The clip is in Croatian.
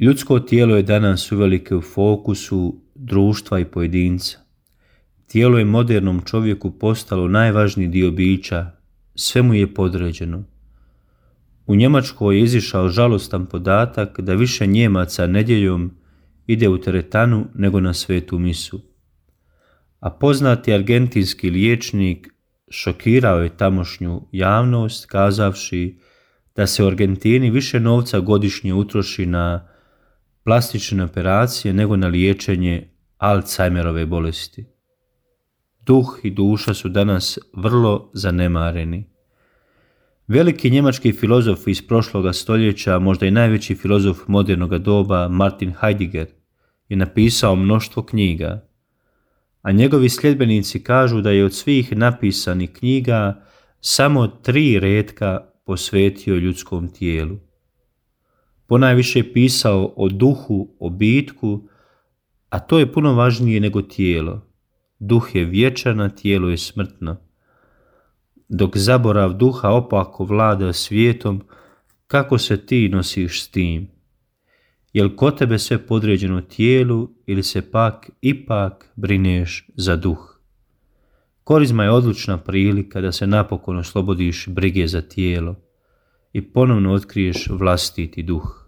Ljudsko tijelo je danas uvelike u fokusu društva i pojedinca. Tijelo je modernom čovjeku postalo najvažniji dio bića, sve mu je podređeno. U Njemačkoj je izišao žalostan podatak da više Njemaca nedjeljom ide u teretanu nego na svetu misu. A poznati argentinski liječnik šokirao je tamošnju javnost kazavši da se u Argentini više novca godišnje utroši na plastične operacije nego na liječenje Alzheimerove bolesti. Duh i duša su danas vrlo zanemareni. Veliki njemački filozof iz prošloga stoljeća, možda i najveći filozof modernoga doba, Martin Heidegger, je napisao mnoštvo knjiga, a njegovi sljedbenici kažu da je od svih napisanih knjiga samo 3 retka posvetio ljudskom tijelu. Ponajviše je pisao o duhu, o bitku, a to je puno važnije nego tijelo. Duh je vječan, a tijelo je smrtno. Dok zaborav duha opako vlada svijetom, kako se ti nosiš s tim? Jel kod tebe sve podređeno tijelu ili se pak ipak brineš za duh? Korizma je odlučna prilika da se napokon oslobodiš brige za tijelo i ponovno otkriješ vlastiti duh.